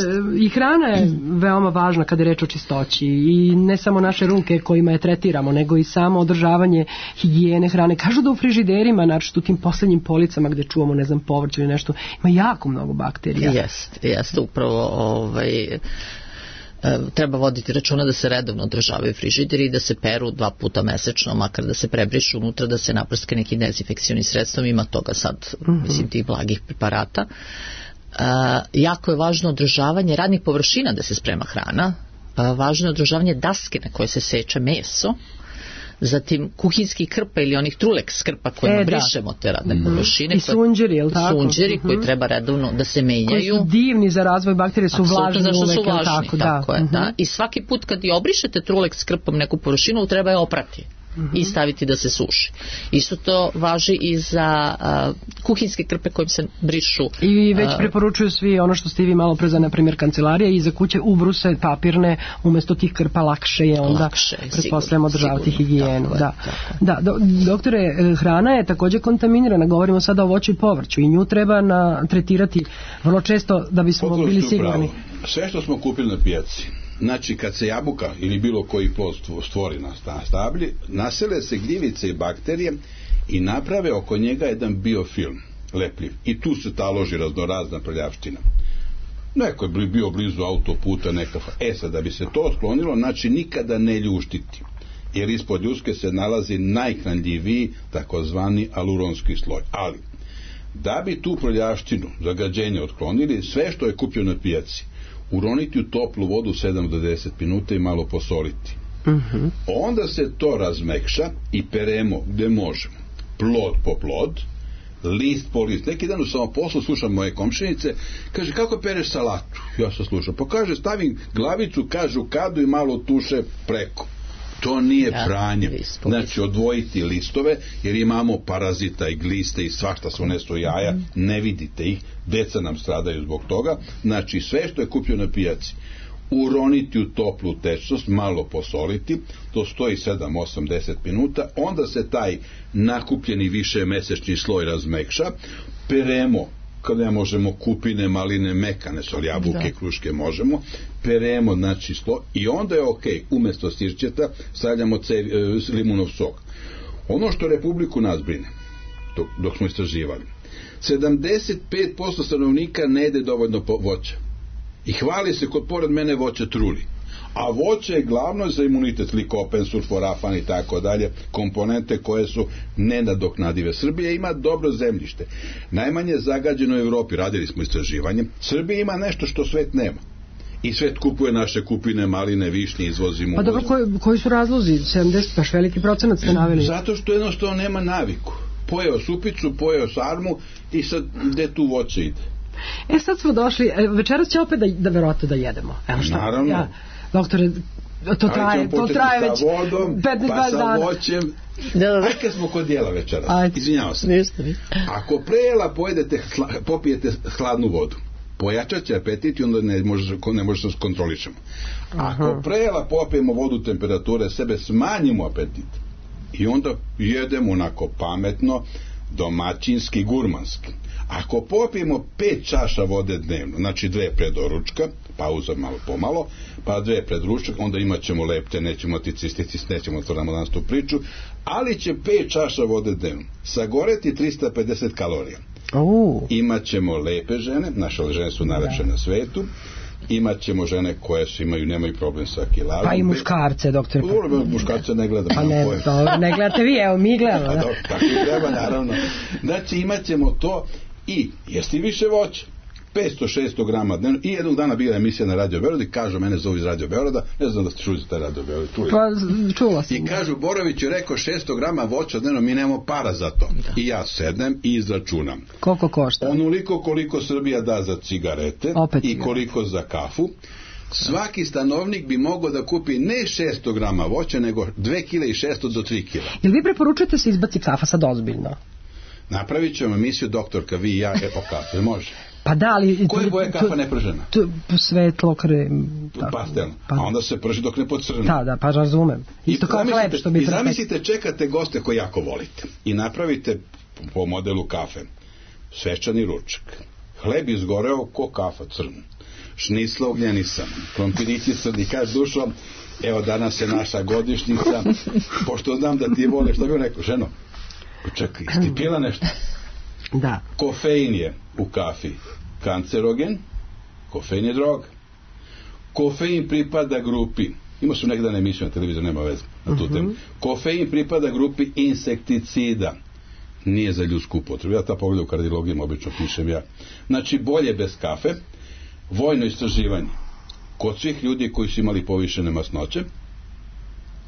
i hrana je veoma važna kada je reč o čistoći i ne samo naše ruke kojima je tretiramo, nego i samo održavanje higijene hrane. Kažu da u frižiderima, znači u tim poslednjim policama gde čuvamo, ne znam, povrće ili nešto, ima jako mnogo bakterija. Jeste, upravo treba voditi računa da se redovno održavaju frižideri i da se peru 2 puta mesečno, makar da se prebrišu unutra, da se naprske neki dezinfekcioni sredstvom, ima toga sad, mislim, tih blagih preparata. Jako je važno održavanje radnih površina da se sprema hrana, važno je održavanje daske na koje se seče meso, zatim kuhinski krpa ili onih truleks krpa kojima brišemo te radne površine. I sunđeri, je li tako? Sunđeri koji treba redovno da se menjaju. Koji su divni za razvoj bakterije, su vlažni uvek, je li tako? Tako je, da. I svaki put kad i obrišete truleks krpom neku površinu, treba je oprati i staviti da se suši. Isto to važi i za kuhinske krpe kojim se brišu. I već preporučuju svi ono što ste vi malo pre za, na primjer, kancelarije i za kuće ubruse papirne, umesto tih krpa lakše je onda pretpostavljamo održavati higijenu. Da. Doktore, hrana je također kontaminirana, govorimo sada o voću i povrću i nju treba tretirati vrlo često da bismo bili sigurni. Sve što smo kupili na pijaci, znači kad se jabuka ili bilo koji plod stvori na stablji, nasele se gljivice i bakterije i naprave oko njega jedan biofilm lepljiv i tu se taloži raznorazna prljavština. Neko je bio blizu autoputa, sad da bi se to sklonilo, znači nikada ne ljuštiti, jer ispod ljuske se nalazi najhranljiviji takozvani aluronski sloj. Ali da bi tu prljavštinu, zagađenje otklonili, sve što je kupljeno na pijaci uroniti u toplu vodu 7 do 10 minuta i malo posoliti. Onda se to razmekša i peremo gde možemo. Plod po plod, list po list. Neki dan u samoposlu slušam moje komšinice, kaže, kako pereš salatu? Ja sam slušao. Pa kaže, stavim glavicu, kažu kadu i malo tuše preko. To nije pranje. Znači, odvojiti listove, jer imamo parazita i gliste i svašta se unesu jaja, ne vidite ih, deca nam stradaju zbog toga. Znači, sve što je kupljeno na pijaci, uroniti u toplu tečnost, malo posoliti, to stoji 7, 8, 10 minuta, onda se taj nakupljeni višemesečni sloj razmekša, peremo, kad ne možemo kupine, maline, mekane, sol, jabuke, kruške možemo, peremo, znači sloj, i onda je umjesto sirćeta stavljamo limunov sok. Ono što Republiku nas brine, dok smo istraživali, 75% stanovnika ne jede dovoljno voća. I hvali se kod pored mene voće truli. A voće je glavno za imunitet, likopen, sulforafan i tako dalje, komponente koje su nenadoknadive. Srbija ima dobro zemljište. Najmanje zagađeno u Evropi, radili smo istraživanje. Srbija ima nešto što svet nema. I svet kupuje naše kupine, maline, višnje, izvozimo. Pa dobro, koji su razlozi? 70, baš veliki procenat ste naveli. Zato što jednostavno nema naviku. Pojeo supicu, pojeo sarmu i sad gde tu voće ide? Sad smo došli, večeras će opet da verovatno da jedemo. Evo šta? Naravno. Doktore, to traje već 15-20 dana. Pa sa voćem. Ajde smo kod jela večeras. Izvinjavao sam. Ako pre jela popijete hladnu vodu, pojačat će apetit i onda ne možemo se kontrolišemo. Ako pre jela popijemo vodu temperature sebe, smanjimo apetit i onda jedemo onako pametno, domaćinski, gurmanski. Ako popijemo 5 čaša vode dnevno, znači 2 pred doručka, pauza malo pomalo, pa 2 pred ručak, onda imat ćemo lepte, nećemo cistitis, nećemo otvoramo danas tu priču, ali će 5 čaša vode dnevno sagoreti 350 kalorija. Imat ćemo lepe žene, naše žene su najlepše na svetu, imat ćemo žene koje nemaju problem sa kilagom. Pa i muškarce, doktor. Muškarce ne gledamo. Pa ne gledate vi, evo mi gledamo. Tako i treba, naravno. Znači imat ćemo to i jesti više voća. 500-600 grama dnevno. I jednog dana bila emisija na Radio Beogradu i kažu, mene zovu iz Radio Beograda, ne znam da ste čuli za taj Radio Beograd. Pa čula sam. I kažu, Borović je rekao 600 grama voća dnevno, mi nemamo para za to. I ja sednem i izračunam. Koliko košta? Onoliko koliko Srbija da za cigarete i koliko za kafu. Svaki stanovnik bi mogao da kupi ne 600 grama voća, nego 2,600 do 3 kg. Jel vi preporučujete se izbaci kafa sad ozbiljno? Napravit ćemo emisiju Doktorka, vi i ja, o kafe, može? Pa da, ali... Koje boje kafa ne pržena? Svetlo, pastelno. A onda se prži dok ne pocrni. Da, pa razumem. Isto kao hleb što bi... I zamislite, čekate goste koje jako volite i napravite po modelu kafe svečani ručak. Hleb izgoreo ko kafa crn. Šnicla ugljenisan, krompirići crni, kaže dušom, evo danas je naša godišnjica, pošto znam da ti vole, što bi rekao, ženo, čekaj, ti pila nešto? Da. Kofein je u kafi kancerogen, kofein je droga. Kofein pripada grupi, imao sam nekada emisiju na televiziju, nema veze na tu temu. Kofein pripada grupi insekticida, nije za ljudsku upotrebu. Ja ta pogleda u kardiologiji obično pišem ja. Znači, bolje bez kafe. Vojno istraživanje kod svih ljudi koji su imali povišene masnoće,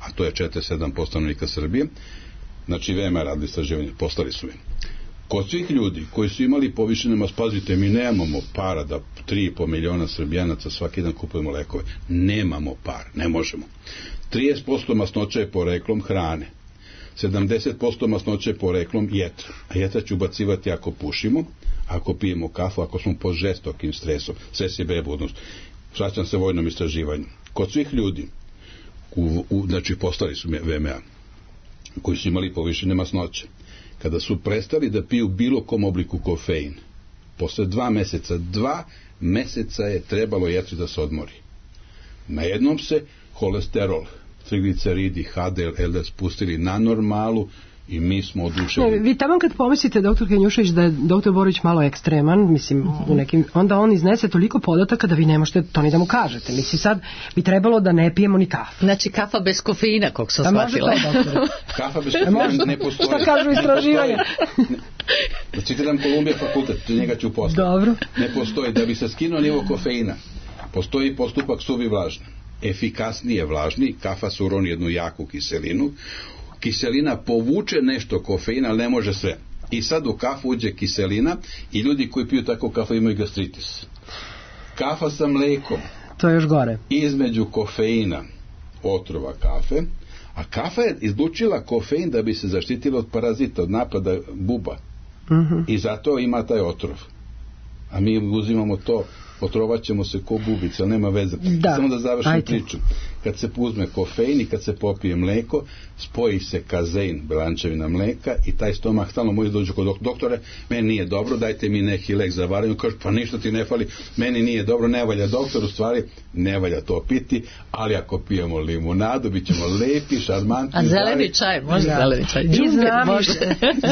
a to je 47% stanovnika Srbije, znači VMA radili istraživanje, poslali su mi. Kod svih ljudi koji su imali povišene masnoće, pazite, mi nemamo para da 3,5 miliona Srbijanaca svaki dan kupujemo lekove. Nemamo par, ne možemo. 30% masnoća je poreklom hrane. 70% masnoća je poreklom jetra. A jetra će ubacivati ako pušimo, ako pijemo kafu, ako smo pod žestokim stresom. Stres je bebudnost. Vraćam se vojnom istraživanju. Kod svih ljudi, znači postali su VMA, koji su imali povišene masnoće, kada su prestali da piju bilo kom obliku kofein, posle 2 meseca je trebalo jetri da se odmori. Najednom se holesterol, trigliceridi, HDL, LDL spustili na normalu i mi smo oduševljeni. Vi tamo kad pomislite, doktor Kenjušević, da je doktor Borović malo ekstreman, mislim, u nekim, onda on iznese toliko podataka da vi ne možete to ni da mu kažete. Mislim, sad bi trebalo da ne pijemo ni kafu. Znači, kafa bez kofeina, kako sam shvatila. Kafa bez kofeina ne postoji. Šta kažu istraživanja? Da citiram Kolumbija fakultet, njega ću poslati. Dobro. Ne postoji. Da bi se skinuo nivo kofeina, postoji postupak suvi vlažni. Efikasnije vlažni, kafa se uroni jednu jaku kiselinu, kiselina povuče nešto kofeina, ali ne može sve. I sad u kafu uđe kiselina i ljudi koji piju tako kafu imaju gastritis. Kafa sa mlekom. To je još gore. Između kofeina, otrova kafe, a kafa je izlučila kofein da bi se zaštitila od parazita, od napada buba. I zato ima taj otrov. A mi uzimamo to, otrovat ćemo se ko bubice, ali nema veze. Samo da završim priču. Kad se uzme kofein i kad se popije mleko, spoji se kazein, belančevina mleka, i taj stomak stalno može dođu kod doktore, meni nije dobro, dajte mi neki lek za varenje. Kaže, pa ništa ti ne fali, meni nije dobro, ne valja doktor, u stvari ne valja to piti, ali ako pijemo limunadu, bit ćemo lepi, šarmantni. A zeleni čaj, može zeleni čaj.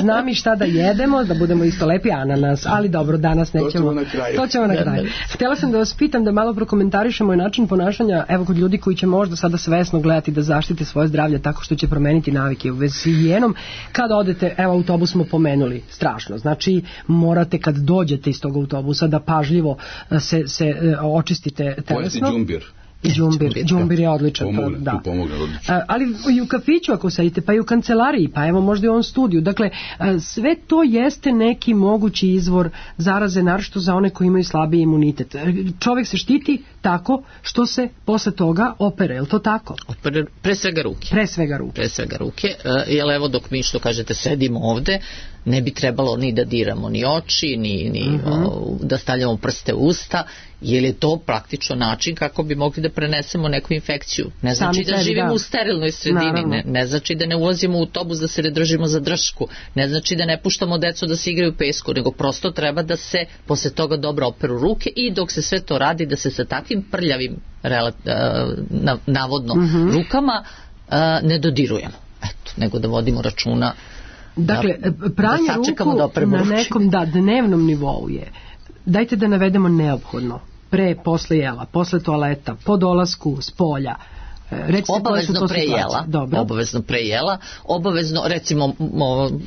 Znam i šta da jedemo, da budemo isto lepi, ananas, ali dobro, danas nećemo. To ćemo na kraju. Htjela sam da vas pitam da malo prokomentarišemo i način ponašanja, evo, kod ljudi koji će možda sada svesno gledati da zaštite svoje zdravlje tako što će promeniti navike u vezi s higijenom. Kada odete, evo, autobus smo pomenuli, strašno, znači morate kad dođete iz tog autobusa da pažljivo se očistite telesno. Pojesti džumbir. Džumbir je odličan. Pomogne. Ali i u kafiću ako sedite, pa i u kancelariji, pa evo možda i u ovom studiju. Dakle, sve to jeste neki mogući izvor zaraze, naročito za one koji imaju slabiji imunitet. Čovjek se štiti tako što se posle toga opere, je li to tako? Opere pre svega ruke. Jer evo dok mi, što kažete, sedimo ovde, ne bi trebalo ni da diramo ni oči, ni da stavljamo prste u usta, jer je to praktično način kako bi mogli da prenesemo neku infekciju. Ne znači da živimo u sterilnoj sredini, ne znači da ne ulazimo u autobus da se ne držimo za dršku, ne znači da ne puštamo decu da se igraju u pesku, nego prosto treba da se posle toga dobro operu ruke i dok se sve to radi da se sa takvim prljavim navodno rukama ne dodirujemo. Eto, nego da vodimo računa. Dakle, pranje ruku na nekom dnevnom nivou je, dajte da navedemo neophodno, pre, posle jela, posle toaleta, po dolasku s polja, obavezno pre jela, obavezno, recimo,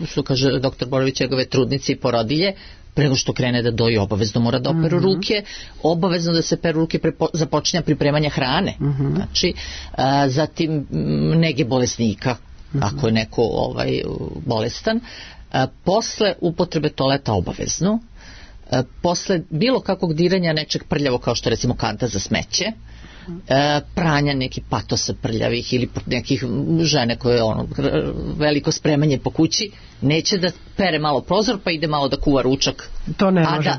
što kaže doktor Borović, njegove trudnice i porodilje, prego što krene da doji, obavezno mora da operu ruke, obavezno da se peru ruke započinja pripremanja hrane, znači, zatim nege bolesnika, ako je neko bolestan, posle upotrebe toaleta obavezno, posle bilo kakvog diranja nečeg prljavo kao što recimo kanta za smeće, pranja nekih patosa prljavih ili nekih žene koje veliko spremanje po kući, neće da pere malo prozor pa ide malo da kuva ručak,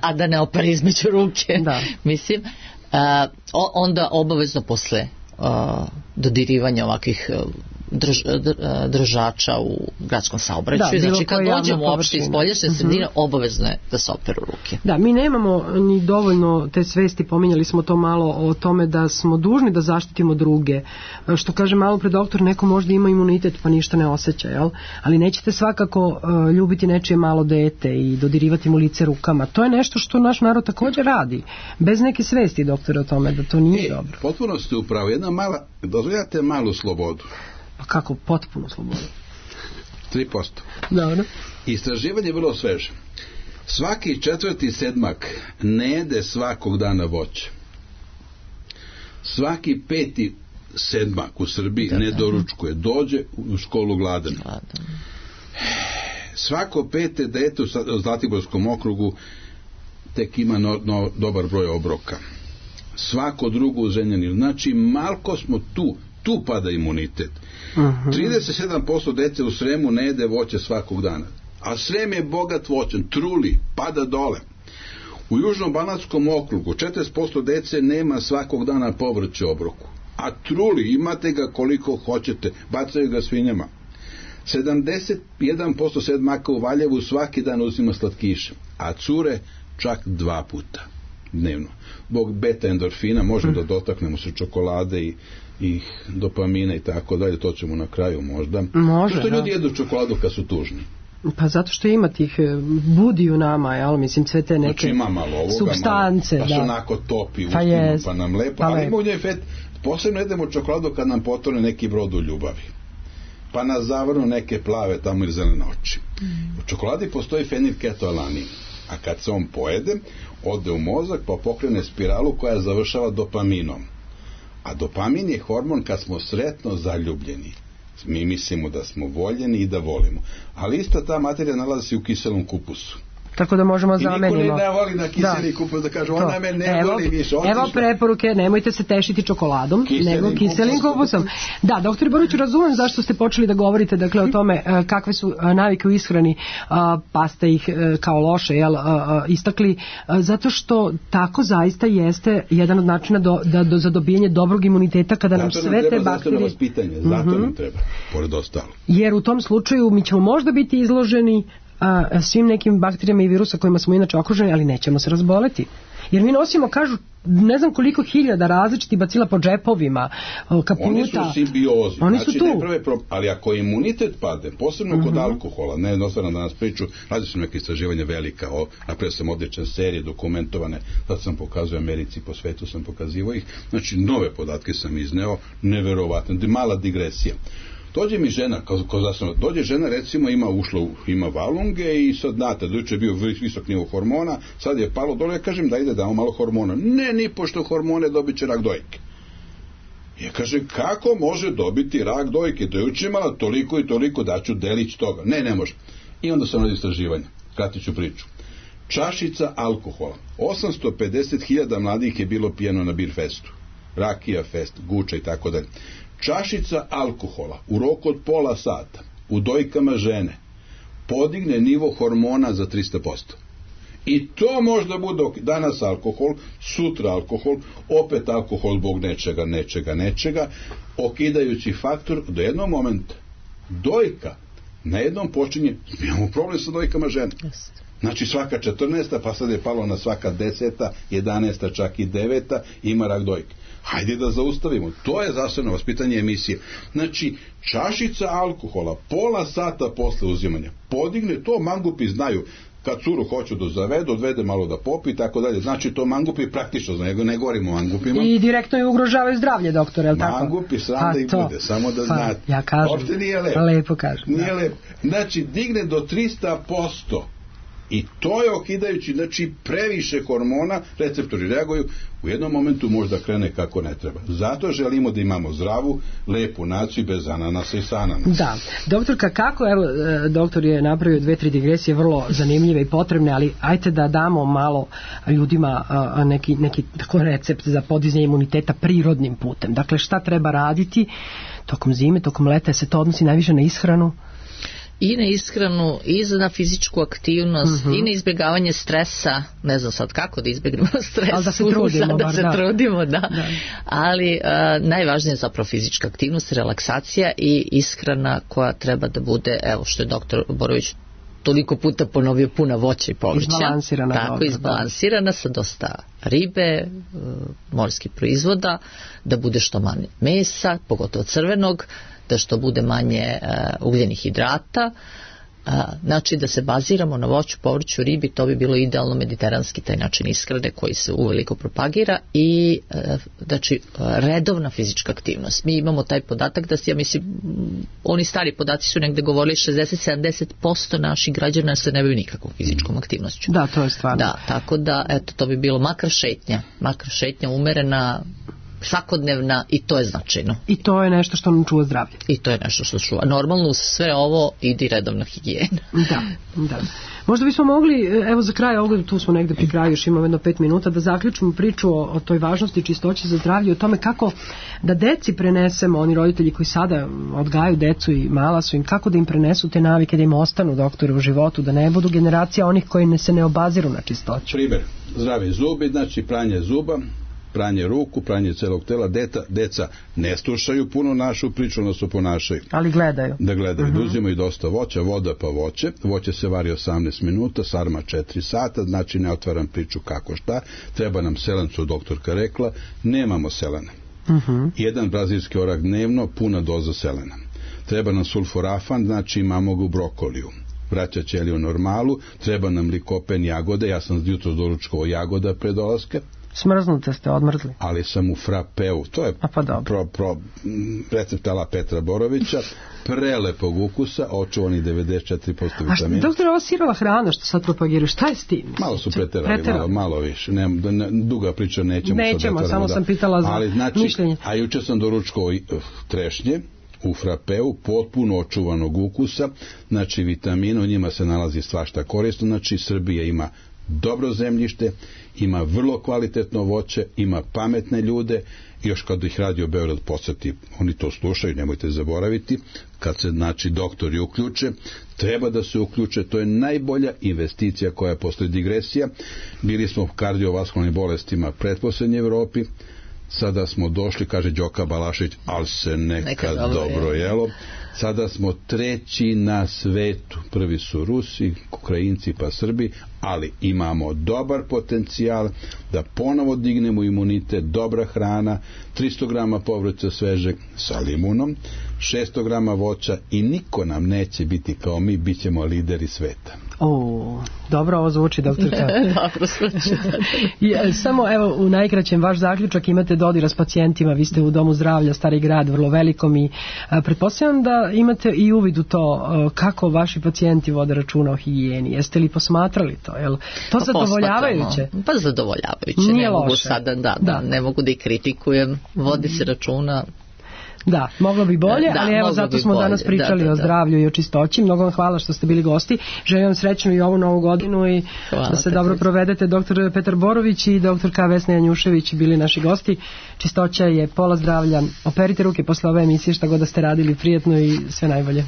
a da ne opere između ruke. Mislim, onda obavezno posle dodirivanja ovakvih držača u gradskom saobraćaju, znači kad dođemo uopšte iz spoljašnje sredine, obavezno je da se operu ruke. Da, mi nemamo ni dovoljno te svesti, pominjali smo to malo o tome da smo dužni da zaštitimo druge, što kaže malo pre doktor, neko možda ima imunitet pa ništa ne osjeća, jel? Ali nećete svakako ljubiti nečije malo dete i dodirivati mu lice rukama, to je nešto što naš narod također radi, bez neke svesti, doktore, o tome da to nije dobro. Potpuno ste upravo, jedna mala, dozvoljate malu slobodu. Pa kako, potpuno slobodu? 3%. Dobro. Istraživanje je vrlo sveže. Svaki 4. sedmak ne jede svakog dana voće. Svaki 5. sedmak u Srbiji ne doručkuje, dođe u školu gladan. Svako 5. dete u Zlatiborskom okrugu tek ima dobar broj obroka. Svako drugo u Zrenjaninu. Znači, malko smo tu pada imunitet. 37% dece u Sremu ne jede voće svakog dana. A Srem je bogat voćem, truli, pada dole. U Južnom Banatskom okrugu 40% dece nema svakog dana povrće u obroku. A truli, imate ga koliko hoćete, bacaju ga svinjama. 71% sedmaka u Valjevu svaki dan uzima slatkiše, a cure čak 2 puta dnevno. Zbog beta endorfina možemo da dotaknemo se čokolade i dopamina i tako dalje, to ćemo na kraju možda. Što ljudi jedu čokoladu kad su tužni? Pa zato što ima tih budi u nama, jel? Mislim, sve te neke znači, ima malo ovoga, supstance. Pa se onako topi ustima, pa nam lepo, ali ima u njoj fet. Posebno jedemo čokoladu kad nam potone neki brod u ljubavi. Pa nas zavrnu neke plave tamo ili zelene oči. U čokoladi postoji fenilketoalanin, a kad se on pojede, ode u mozak pa pokrene spiralu koja završava dopaminom. A dopamin je hormon kad smo sretno zaljubljeni. Mi mislimo da smo voljeni i da volimo. Ali ista ta materija nalazi se u kiselom kupusu. Tako da možemo zamenimo. I niko ne voli na kiseli kupus da kaže ona me ne voli više. Evo preporuke, nemojte se tešiti čokoladom, nego kiselim kupusom. Da, doktor Borović, razumem zašto ste počeli da govorite dakle, o tome kakve su navike u ishrani, pa ste ih kao loše istakli, zato što tako zaista jeste jedan od načina za dobijanje dobrog imuniteta kada nam sve te bakterije... Zato nam treba, pored ostalo. Jer u tom slučaju mi ćemo možda biti izloženi svim nekim bakterijama i virusa kojima smo inače okruženi, ali nećemo se razboleti. Jer mi nosimo, kažu, ne znam koliko hiljada različitih bacila po džepovima, kaputa. Oni su u simbiozi. Oni su tu. Ali ako imunitet pade, posebno kod alkohola, ne jednostavno da nas priču, radi su neke istraživanja velika, napravio sam odlične serije dokumentovane, sad sam pokazao Americi, po svetu sam pokazivao ih, znači nove podatke sam izneo, neverovatno, mala digresija. Dođe mi žena, dođe žena recimo ima valunge i sad znate, dođe je bio visok nivo hormona, sad je palo dole, ja kažem da ide damo malo hormona. Ne, ni pošto hormone dobit će rak dojke. Ja kažem, kako može dobiti rak dojke? Da je učimala toliko i toliko, daću delić toga. Ne može. I onda sam radi istraživanja, kratit ću priču. Čašica alkohola. 850.000 mladih je bilo pijeno na bir festu. Rakija fest, guča i tako dalje. Čašica alkohola u roku od pola sata u dojkama žene podigne nivo hormona za 300%. I to možda bude danas alkohol, sutra alkohol, opet alkohol zbog nečega, okidajući faktor do jednog momenta. Dojka na jednom počinje, imamo problem sa dojkama žene. Znači svaka 14. pa sad je palo na svaka 10. 11. čak i 9. ima rak dojke. Hajde da zaustavimo. To je zdravstveno vaspitanje emisije. Znači, čašica alkohola pola sata posle uzimanja podigne, to mangupi znaju. Kad curu hoću da zavedu, odvede malo da popi i tako dalje. Znači, to mangupi praktično znaju, ne govorimo o mangupima. I direktno je ugrožavaju zdravlje, doktore, je li tako? Mangupi sram da ih bude, samo da znate. Ja kažem. Uopšte nije lepo. Lepo kažem. Nije lepo. Znači, digne do 300%. I to je okidajući, znači previše hormona, receptori reaguju, u jednom momentu možda krene kako ne treba. Zato želimo da imamo zdravu, lepu naciju bez ananasa i sa ananasa. Da. Doktorka, kako, evo, doktor je napravio 2-3 digresije vrlo zanimljive i potrebne, ali ajte da damo malo ljudima neki tako recept za podizanje imuniteta prirodnim putem. Dakle, šta treba raditi tokom zime, tokom leta, se to odnosi najviše na ishranu? I na ishranu, i na fizičku aktivnost, i na izbjegavanje stresa, ne znam sad kako da izbjegnemo stres, ali da se trudimo, da. Ali najvažnije je zapravo fizička aktivnost, relaksacija i ishrana koja treba da bude, evo što je doktor Borović toliko puta ponovio, puna voća i povrća. Izbalansirana. Tako, izbalansirana sa dosta ribe, morskih proizvoda, da bude što manje mesa, pogotovo crvenog, da što bude manje ugljenih hidrata, znači da se baziramo na voću, povrću, ribi, to bi bilo idealno mediteranski taj način ishrane koji se uveliko propagira i znači redovna fizička aktivnost. Mi imamo taj podatak da ja mislim, oni stari podaci su negde govorili 60-70% naših građana se ne bavaju nikakvom fizičkom aktivnošću. Da, to je stvarno. Da, tako da, eto, to bi bilo makar šetnja umerena, svakodnevna i to je značajno. I to je nešto što nam čuva zdravlje. I to je nešto što čuva. Normalno uz sve ovo ide redovna higijena. Da. Možda bismo mogli, evo za kraj ovoga, tu smo negde pri kraju, još imamo jedno 5 minuta, da zaključimo priču o toj važnosti čistoće za zdravlje, o tome kako da deci prenesemo, oni roditelji koji sada odgajaju decu i mala su im, kako da im prenesu te navike, da im ostanu, doktore, u životu, da ne budu generacija onih koji se ne obaziru na čistoću. Primer, zdravi zubi, znači pranje zuba, pranje ruku, pranje celog tela. Deca ne slušaju puno našu priču, ono se ponašaju. Ali gledaju. Da gledaju, da uzimaju dosta voća, voda pa voće. Voće se vari 18 minuta, sarma 4 sata, znači ne otvaram priču kako šta. Treba nam selen, što doktorka rekla, nemamo selena. Jedan brazilski orah dnevno, puna doza selena. Treba nam sulforafan, znači imamo ga u brokoliju. Vraća ćeliju u normalu, treba nam likopen jagode, ja sam jutros doručkovao jagoda pre dolaska. Smrznute ste, odmrzli. Ali sam u frapeu, to je recept ala Petra Borovića, prelepog ukusa, očuvani 94% vitamina. A doktore, ova sirova hrana što sad propagiraju, šta je s tim? Malo su preterali, malo više. Duga priča, nećemo, samo sam pitala za mišljenje. A juče sam doručkovao trešnje, u frapeu, potpuno očuvanog ukusa, znači vitamina, u njima se nalazi svašta korisno, znači Srbija ima dobro zemljište, ima vrlo kvalitetno voće, ima pametne ljude, još kad ih Radio Beograd podsjeti, oni to slušaju, nemojte zaboraviti, kad se znači doktori uključe, treba da se uključe, to je najbolja investicija koja postoji. Digresija, bili smo u kardiovaskularnim bolestima pretposlednje Evropi, sada smo došli, kaže Đoka Balašević, ali se nekad dobro jelo. Sada smo 3. na svetu. Prvi su Rusi, Ukrajinci pa Srbi, ali imamo dobar potencijal da ponovo dignemo imunitet, dobra hrana, 300 grama povrća svežeg sa limunom, 600 grama voća i niko nam neće biti kao mi, bit ćemo lideri sveta. Dobro ovo zvuči, doktorka. Dobro zvuči. Samo evo u najkraćem vaš zaključak, imate dodira s pacijentima, vi ste u domu zdravlja Stari grad, vrlo velikom, i pretpostavljam da imate i uvid u to kako vaši pacijenti vode računa o higijeni. Jeste li posmatrali to? Jel to zadovoljavajuće? Pa zadovoljavajuće. Nije ne loše. Mogu sada, ne mogu da ih kritikujem, vodi se računa. Da, moglo bi bolje, ali evo zato smo danas pričali o zdravlju i o čistoći. Mnogo vam hvala što ste bili gosti. Želim vam srećnu i ovu novu godinu i da se dobro provedete. Doktor Petar Borović i doktorka Vesna Janjušević bili naši gosti. Čistoća je pola zdravlja. Operite ruke posle ove emisije, šta god da ste radili, prijatno i sve najbolje.